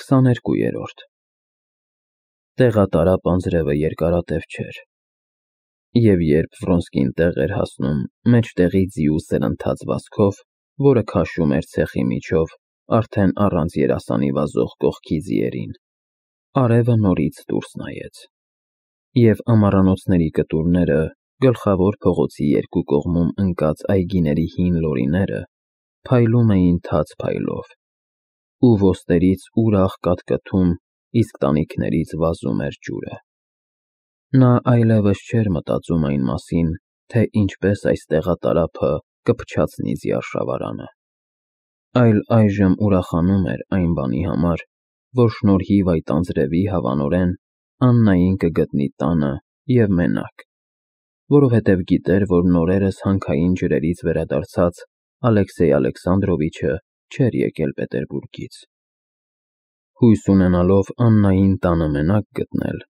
22-րդ Տեղատարապ անձրևը երկարատև չէր, և երբ Վրոնսկին տեղ էր հասնում մեջտեղի ձիու սրընթաց վազքով, որը քաշում էր ցեխի միջով արդեն առանց երասանի վազող կողքի ձիերին, արևը նորից դուրս նայեց, և ամառանոցների կտուրները, գլխավոր փողոցի երկու կողմում ընկած այգիների հին լորիները փայլում էին թաց փայլով, ու ոստերից ուրախ կաթկթում, իսկ տանիքներից վազում էր ջուրը։ Նա այլևս չէր մտածում այն մասին, թե ինչպես այս տեղատարափը կփչացնի ձիարշավարանը, այլ այժմ ուրախանում էր այն բանի համար, որ շնորհիվ այդ անձրևի հավանորեն Աննային կգտնի տանը և մենակ, որովհետև գիտեր, որ նորերս հանքային ջրերից վերադարձած Ալեքսեյ Ալեքսանդրովիչը չէր եկել Պետերբուրգից։ Հույս ունենալով Աննային տանը մենակ գտնել,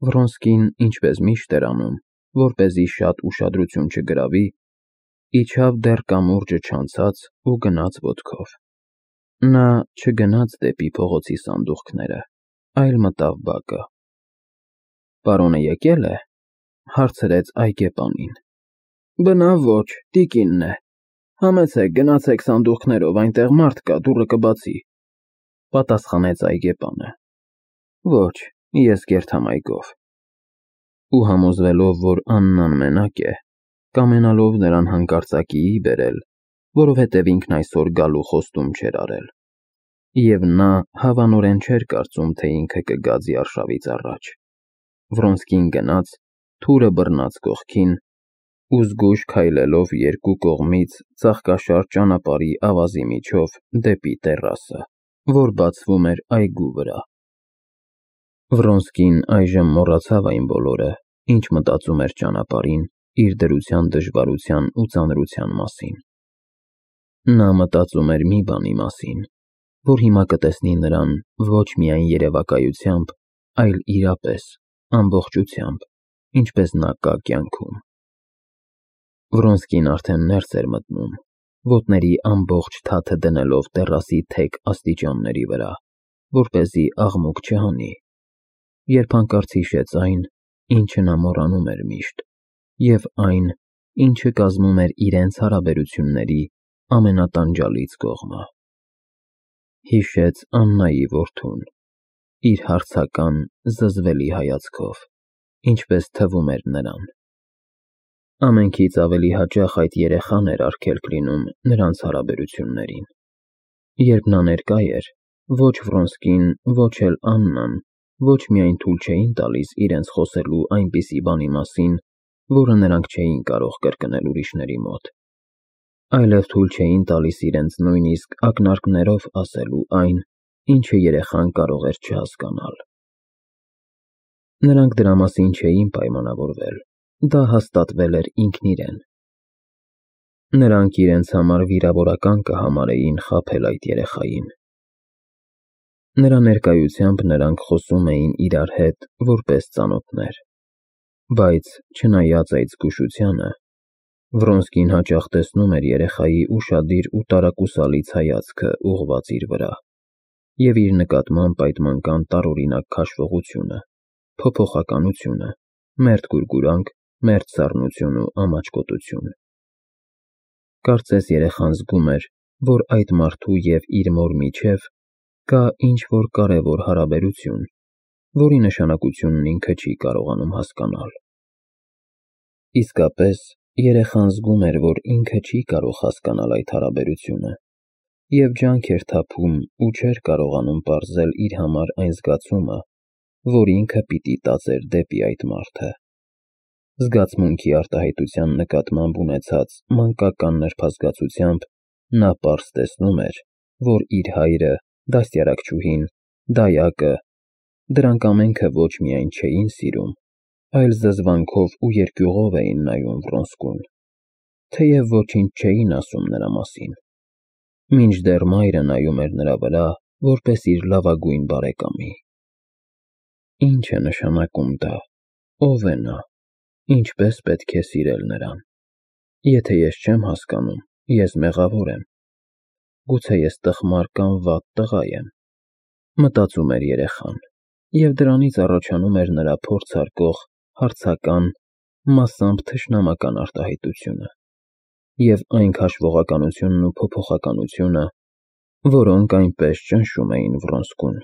Վրոնսկին, ինչպես միշտ էր անում, որպեսզի շատ ուշադրություն չգրավի, իջավ դեռ կամուրջը չանցած ու գնաց ոտքով։ Նա չգնաց դեպի փողոցի սանդուղքները, այլ մտավ բակը։ «Պարոնը եկե՞լ է», հարցրեց այգեպանին։ «Բնավ ոչ, տիկինն է։ Համեցեք, գնացեք սանդուղքներով, այնտեղ մարդ կա, դուռը կբացի», պատասխանեց այգեպանը։ «Ոչ, ես կերթամ այգով»։ Ու համոզվելով, որ Աննան մենակ է, կամենալով նրան հանկարծակիի բերել, որովհետև ինքն այսօր գալու խոստում չէր արել, և նա հավանորեն չէր կարծում, թե ինքը կգա ձիարշավից առաջ, Վրոնսկին գնաց, թուրը բռնած կողքին ու զգույշ քայլելով երկու կողմից ծաղկաշար ճանապարհի ավազի միջով դեպի տեռասը, որ բացվում էր այգու վրա։ Վրոնսկին այժմ մոռացավ այն բոլորը, ինչ մտածում էր ճանապարհին իր դրության դժվարության ու ծանրության մասին։ Նա մտածում էր մի բանի մասին, որ հիմա կտեսնի նրան ոչ միայն երևակայությամբ, այլ իրապես, ամբողջությամբ, ինչպես նա կա կյանքում։ Վրոնսկին արդեն ներս էր մտնում, ոտների ամբողջ թաթը դնելով տեռասի թեք աստիճանների վրա, որպեսզի աղմուկ չհանի, երբ հանկարծ հիշեց այն, ինչը նա մոռանում էր միշտ, և այն, ինչը կազմում էր իրենց հարաբերությունների ամենատանջալից կողմը։ Հիշեց Աննայի որդուն, իր հարցական, զզվելի հայացքով, ինչպես թվում էր նրան։ Ամենքից ավելի հաճախ այդ երեխան էր արգելք լինում նրանց հարաբերություններին։ Երբ նա ներկա էր, ոչ Վրոնսկին, ոչ էլ Աննան ոչ միայն թույլ չէին տալիս իրենց խոսելու այնպիսի բանի մասին, որը նրանք չէին կարող կրկնել ուրիշների մոտ, այլև թույլ չէին տալիս իրենց նույնիսկ ակնարկներով ասելու այն, ինչը երեխան կարող էր չհասկանալ։ Նրանք դրա մասին չէին պայմանավորվել, դա հաստատվել էր ինքնիրեն։ Նրանք իրենց համար վիրավորական կհամարեին խաբել այդ երեխային։ Նրա ներկայությամբ նրանք խոսում էին իրար հետ որպես ծանոթներ, բայց չնայած այդ զգուշությանը, Վրոնսկին հաճախ տեսնում էր երեխայի ուշադիր ու տարակուսալից հայացքը ուղղված իր վրա, և իր նկատմամբ այդ մանկան տարօրինակ քաշվողությունը, փոփոխականությունը, մերթ գուրգուրանք, մերթ սառնություն ու ամաչկոտություն։ Կարծես երեխան զգում էր, որ այդ մարդու և իր մոր միջև կա ինչ-որ կարևոր հարաբերություն, որի նշանակությունն ինքը չի կարողանում հասկանալ։ Իսկապես, երեխան զգում էր, որ ինքը չի կարող հասկանալ այդ հարաբերությունը, և ջանք էր թափում ու չէր կարողանում պարզել իր համար այն զգացումը, որ ինքը պիտի տածեր դեպի այդ մարդը։ Զգացմունքի արտահայտության նկատմամբ ունեցած մանկական նրբազգացությամբ նա պարզ տեսնում էր, որ իր հայրը, դաստիարակչուհին, դայակը, դրանք ամենքը ոչ միայն չէին սիրում, այլ զզվանքով ու երկյուղով էին նայում Վրոնսկուն, թեև ոչինչ չէին ասում նրա մասին, մինչդեռ մայրը նայում էր նրա վրա, որպես իր լավագույն բարեկամի։ Ինչ է նշանակում դա, ով է նա, ինչպես պետք է սիրել նրան։ Եթե ես չեմ հասկանում, ես մեղավոր եմ։ Գուցե ես տխմար կամ վատ տղա եմ։ Մտածում էր երեխան, և դրանից առաջանում էր նրա փորձարկող, հարցական, մասամբ թշնամական արտահայտությունը, և այն քաշվողականությունն ու փոփոխականությունը, որոնք այնպես ճնշում էին Վրոնսկուն։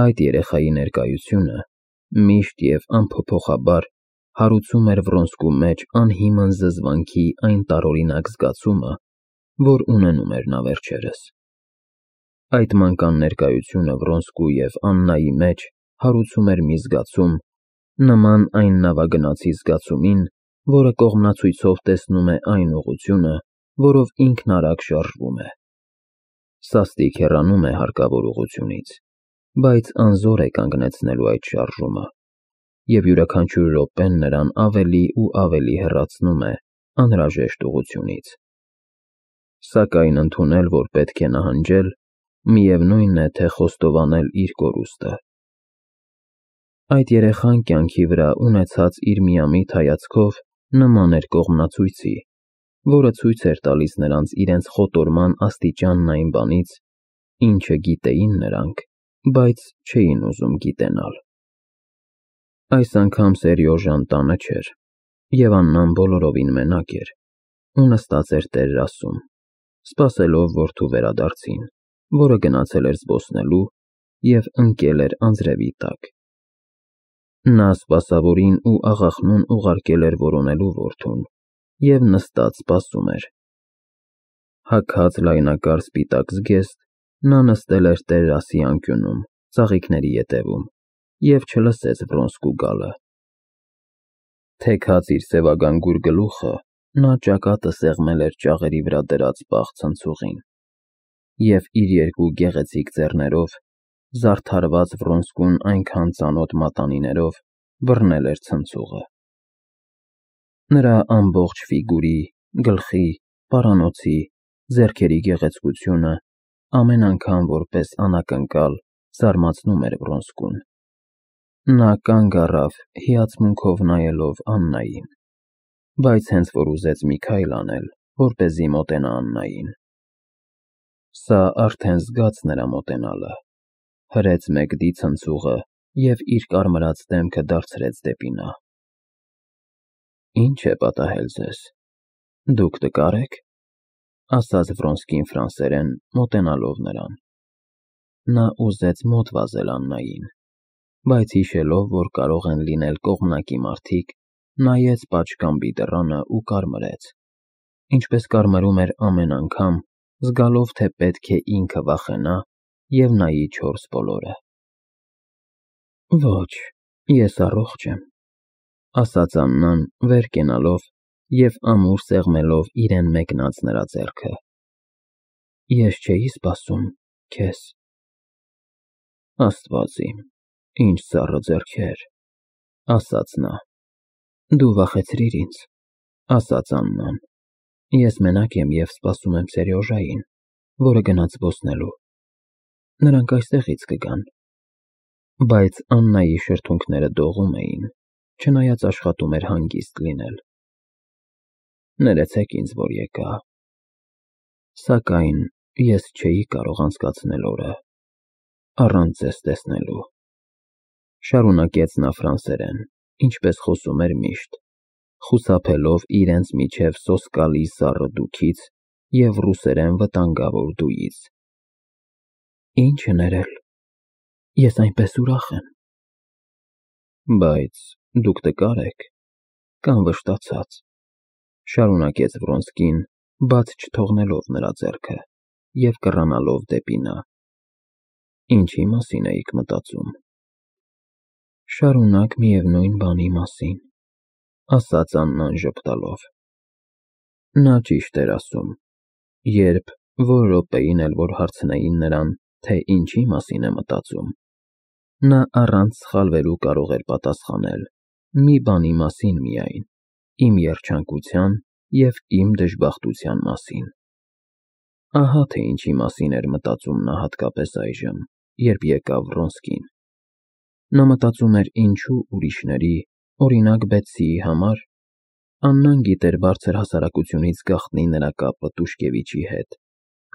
Այդ երեխայի ներկայությունը միշտ և անփոփոխաբար հարուցում էր Վրոնսկու մեջ անհիմն զզվանքի այն տարօրինակ զգացումը, որ ունենում էր նա վերջերս։ Այդ մանկան ներկայությունը Վրոնսկու և Աննայի մեջ հարուցում էր մի զգացում, նման այն նավագնացի զգացումին, որը կողմնացույցով տեսնում է այն ուղղությունը, որով ինքն արագ շարժվում է։ Սաստիկ հեռանում է հարկավոր ուղղությունից, բայց անզոր է կանգնեցնելու այդ շարժումը, և յուրաքանչյուր րոպեն նրան ավելի ու ավելի հեռացնում է անհրաժեշտ ուղղությունից։ Սակայն ընդունել, որ պետք է նահանջել, միևնույն է, թե խոստովանել իր կորուստը։ Այդ երեխան կյանքի վրա ունեցած իր միամիտ հայացքով նման էր կողմնացույցի, որը ցույց էր տալիս նրանց իրենց խոտորման աստիճանն այն բանից, ինչը գիտեին նրանք, բայց չէին ուզում գիտենալ։ Այս անգամ Սերյոժան տանը չէր, և Աննան բոլորովին մենակ էր ու նստած էր տերասում, սպասելով որդու վերադարձին, որը գնացել էր զբոսնելու և ընկել էր անձրևի տակ։ Նա սպասավորին ու աղախնուն ուղարկել էր որոնելու որդուն և նստած սպասում էր։ Հագած լայնակար սպիտակ զգեստ, նա նստել էր տերասի անկյունում, ծաղիկների ետևում և չլսեց Վրոնսկու գալը։ Թեքած իր սևագանգուր գլուխը, նա ճակատը սեղմել էր ճաղերի վրա դրած պաղ ցնցուղին և իր երկու գեղեցիկ ձեռներով, զարդարված Վրոնսկուն այնքան ծանոթ մատանիներով, բռնել էր ցնցուղը։ Նրա ամբողջ ֆիգուրի, գլխի, պարանոցի, ձեռքերի գեղեցկությունը ամեն անգամ որպես անակնկալ զարմացնում էր Վրոնսկուն։ Նա կանգ առավ, հիացմունքով նայելով Աննային, բայց հենց որ ուզեց մի քայլ անել, որպեսզի մոտենա Աննային, սա արդեն զգաց նրա մոտենալը, հրեց մեկդի ցնցուղը և իր կարմրած դեմքը դարձրեց դեպի նա։ Ի՞նչ է պատահել ձեզ, դուք տկար եք, ասաց Վրոնսկին ֆրանսերեն, մոտենալով նրան։ Նա ուզեց մոտ վազել Աննային, բայց հիշելով, որ կարող են լինել կողմնակի մարդիկ, նայեց պատշգամբի դռանը ու կարմրեց, ինչպես կարմրում էր ամեն անգամ, զգալով, թե պետք է ինքը վախենա և նայի չորս բոլորը։ Ոչ, ես առողջ եմ, ասաց Աննան, վեր կենալով և ամուր սեղմելով իրեն մեկնած նրա ձեռքը։ Ես չէի սպասում քեզ։ Աստված իմ, ինչ սառը ձեռքեր, ասաց նա։ Դու վախեցրիր ինձ, ասաց Աննան։ Ես մենակ եմ և սպասում եմ Սերյոժային, որը գնաց զբոսնելու։ Նրանք այստեղից կգան։ Բայց Աննայի շրթունքները դողում էին, չնայած աշխատում էր հանգիստ լինել։ Ներեցեք ինձ, որ եկա։ Սակայն ես չէի կարող անցկացնել օրը առանց ձեզ տեսնելու, շարունակեց նա ֆրանսերեն, ինչպես խոսում էր միշտ, խուսափելով իրենց միջև սոսկալի սառը դուքից և ռուսերեն վտանգավոր դույից։ Ինչ ներել, ես այնպես ուրախ եմ։ Բայց դուք տկար եք կամ վշտացած, շարունակեց Վրոնսկին, բաց չթողնելով նրա ձեռքը և կռանալով դեպի նա։ Ինչի մասին էիք մտածում։ Շարունակ միևնույն բանի մասին, ասաց Աննան ժպտալով։ Նա ճիշտ էր ասում, երբ որ րոպեին էլ որ հարցնեին նրան, թե ինչի մասին է մտածում, նա առանց սխալվելու կարող էր պատասխանել մի բանի մասին միայն, իմ երջանկության և իմ դժբախտության մասին։ Ահա թե ինչի մասին էր մտածում նա հատկապես այժմ, երբ եկավ Վրոնսկին։ Նա մտածում էր ինչու ուրիշների, օրինակ Բեթսիի համար, Աննան գիտեր բարձր հասարակությունից գաղտնի նրա կապը Տուշկևիչի հետ,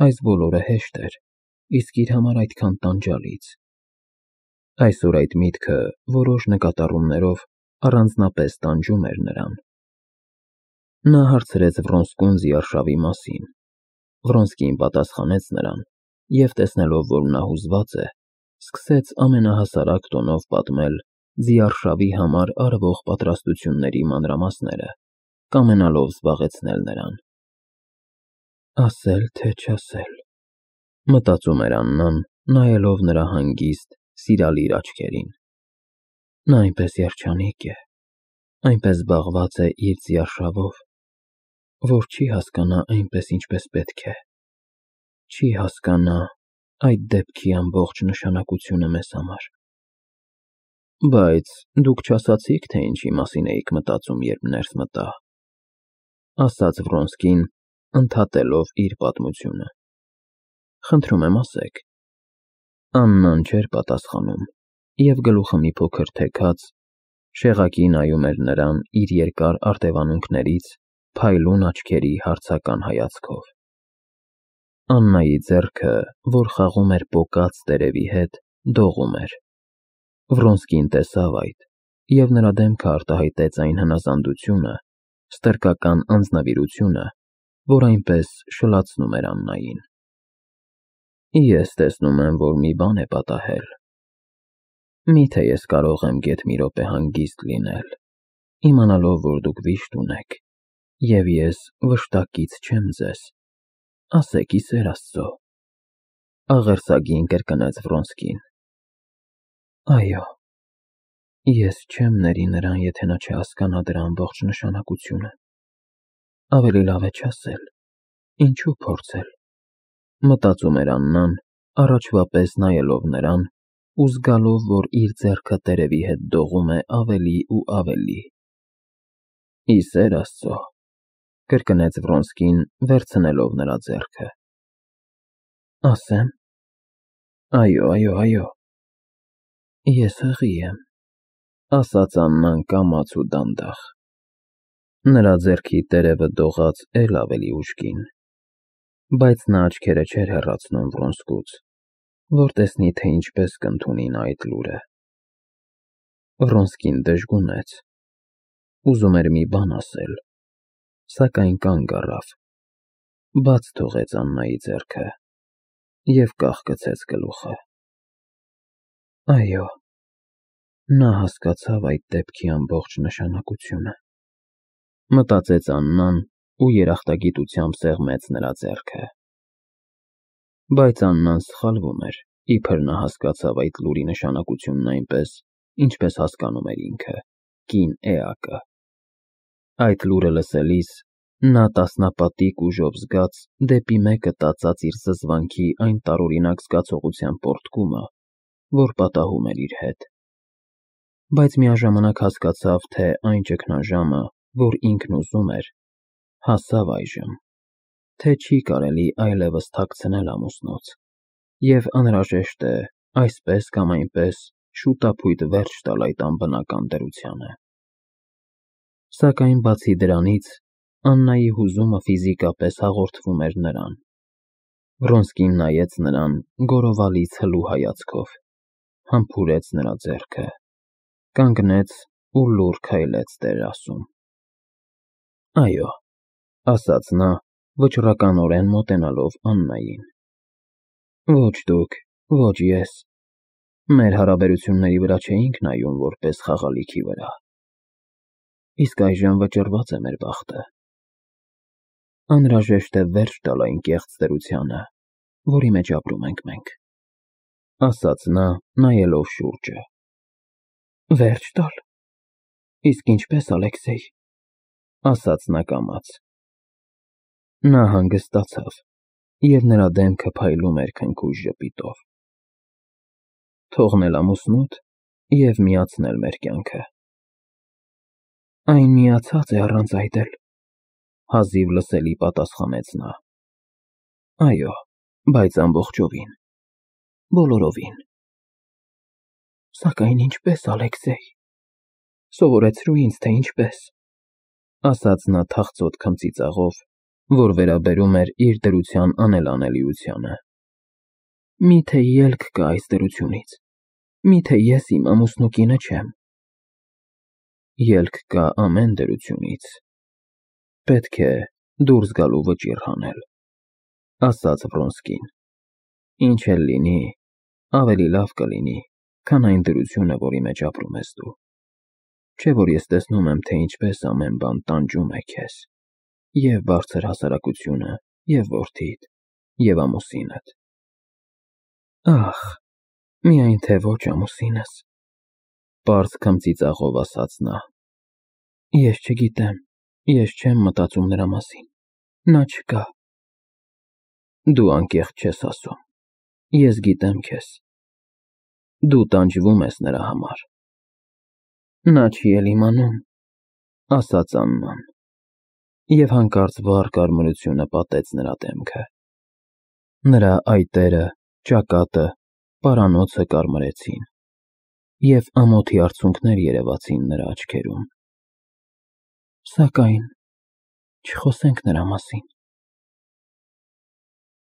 այս բոլորը հեշտ էր, իսկ իր համար այդքան տանջալից։ Այսօր այդ միտքը որոշ նկատառումներով առանձնապես տանջում էր նրան։ Նա հարցրեց Վրոնսկուն զիարշավի մասին։ Վրոնսկին պատասխանեց նրան և, տեսնելով, որ նա հուզված է, սկսեց ամենահասարակ տոնով պատմել զիարշավի համար արվող պատրաստությունների մանրամասները, կամենալով զբաղեցնել նրան։ Ասել թե չասել, մտածում էր Աննան, նայելով նրա հանգիստ, սիրալիր աչքերին։ Նա այնպես երջանիկ է, այնպես զբաղված է իր զիարշավով, որ չի հասկանա այնպես, ինչպես պետք է, չի հասկանա այդ դեպքի ամբողջ նշանակությունը մեզ համար։ Բայց դուք չասացիք, թե ինչի մասին էիք մտածում, երբ ներս մտա, ասաց Վրոնսկին, ընդհատելով իր պատմությունը։ Խնդրում եմ, ասեք։ Աննան չէր պատասխանում և գլուխը մի փոքր թեքած, շեղակի նայում էր նրան իր երկար արտևանունքներից փայլուն աչքերի հարցական հայացքով։ Աննայի ձեռքը, որ խաղում էր պոկած տերևի հետ, դողում էր։ Վրոնսկին տեսավ այդ, և նրա դեմքը արտահայտեց այն հնազանդությունը, ստրկական անձնվիրությունը, որ այնպես շլացնում էր Աննային։ Ես տեսնում եմ, որ մի բան է պատահել։ Միթե ես կարող եմ գեթ մի րոպե հանգիստ լինել, իմանալով, որ դուք վիշտ ունեք, և ես վշտակից չեմ ձեզ, ասեք ի սեր Աստծո, աղերսագին կրկնեց Վրոնսկին։ Այո, ես չեմ ների նրան, եթե նա չհասկանա դրա ամբողջ նշանակությունը։ Ավելի լավ է չասել, ինչու փորձել, մտածում էր Աննան, առաջվա պես նայելով նրան ու զգալով, որ իր ձեռքը տերևի հետ դողում է ավելի ու ավելի։ Ի սեր Աստծո, կրկնեց Վրոնսկին, վերցնելով նրա ձեռքը։ Ասեմ։ Այո, ես հղի եմ, ասաց Աննան կամաց ու դանդաղ։ Նրա ձեռքի տերևը դողաց էլ ավելի ուժգին, բայց նա աչքերը չէր հեռացնում Վրոնսկուց, որ տեսնի, թե ինչպես կընդունի նա այդ լուրը։ Վրոնսկին դժգունեց, ուզում էր մի բան ասել, սակայն կանգ առավ, բաց թողեց Աննայի ձեռքը և կախկցեց գլուխը։ Այո, նա հասկացավ այդ դեպքի ամբողջ նշանակությունը, մտածեց Աննան ու երախտագիտությամբ սեղմեց նրա ձեռքը։ Բայց Աննան սխալվում էր, իբր նա հասկացավ այդ լուրի նշանակությունն այնպես, ինչպես հասկանում էր ինքը, կին էակը։ Այդ լուրը լսելիս նա տասնապատիկ ուժով զգաց դեպի մեկը տածած իր զզվանքի այն տարօրինակ զգացողության պոռթկումը, որ պատահում էր իր հետ։ Բայց միաժամանակ հասկացավ, թե այն ճգնաժամը, որ ինքն ուզում էր, հասավ այժմ, թե չի կարելի այլևս թաքցնել ամուսնուց, և անհրաժեշտ է այսպես կամ այնպես շուտափույթ վերջ տալ այդ անբնական դրությանը։ Սակայն բացի դրանից, Աննայի հուզումը ֆիզիկապես հաղորդվում էր նրան։ Վրոնսկին նայեց նրան գորովալից հլու հայացքով, համբուրեց նրա ձեռքը, կանգնեց ու լուռ քայլեց տերասում։ Այո, ասաց նա, վճռականորեն մոտենալով Աննային։ Ոչ դուք, ոչ ես, մեր հարաբերությունների վրա չէինք նայում որպես խաղալիքի վրա։ Իսկ այժմ վճռված է մեր բախտը։ Անհրաժեշտ է վերջ տալ այն կեղծ դրությանը, որի մեջ ապրում ենք մենք, ասաց նա, նայելով շուրջը։ Վերջ տալ։ Իսկ ինչպես, Ալեքսեյ, ասաց նա կամաց։ Նա հանգստացավ, և նրա դեմքը փայլում էր քնքուշ ժպիտով։ Թողնել ամուսնուդ և միացնել մեր կյանքը։ Այն միացած է առանց այդ էլ, հազիվ լսելի պատասխանեց նա։ Այո, բայց ամբողջովին, բոլորովին։ Սակայն ինչպես, Ալեքսեյ, սովորեցրու ինձ, թե ինչպես, ասաց նա թախծոտ քմծիծաղով, որ վերաբերում էր իր դրության անելանելիությանը։ Միթե ելք կա այս դրությունից, միթե ես իմ ամուսնու կինը չեմ։ Ելք կա ամեն դրությունից, պետք է դուրս գալու վճիռ հանել, ասաց Վրոնսկին։ Ինչ էլ լինի, ավելի լավ կլինի, քան այն դրությունը, որի մեջ ապրում ես դու։ Չէ՞ որ ես տեսնում եմ, թե ինչպես ամեն բան տանջում է քեզ, և բարձր հասարակությունը, և որդիդ, և ամուսինդ։ Ախ, միայն թե ոչ ամուսինս, պարզ քմծիծաղով ասաց նա։ Ես չգիտեմ, ես չեմ մտածում նրա մասին, նա չկա։ Դու անկեղծ չես ասում, ես գիտեմ քեզ, դու տանջվում ես նրա համար։ Նա չի էլ իմանում, ասաց Աննան, և հանկարծ վառ կարմրությունը պատեց նրա դեմքը։ Նրա այտերը, ճակատը, պարանոցը կարմրեցին, և ամոթի արցունքներ երևացին նրա աչքերում։ Սակայն չխոսենք նրա մասին,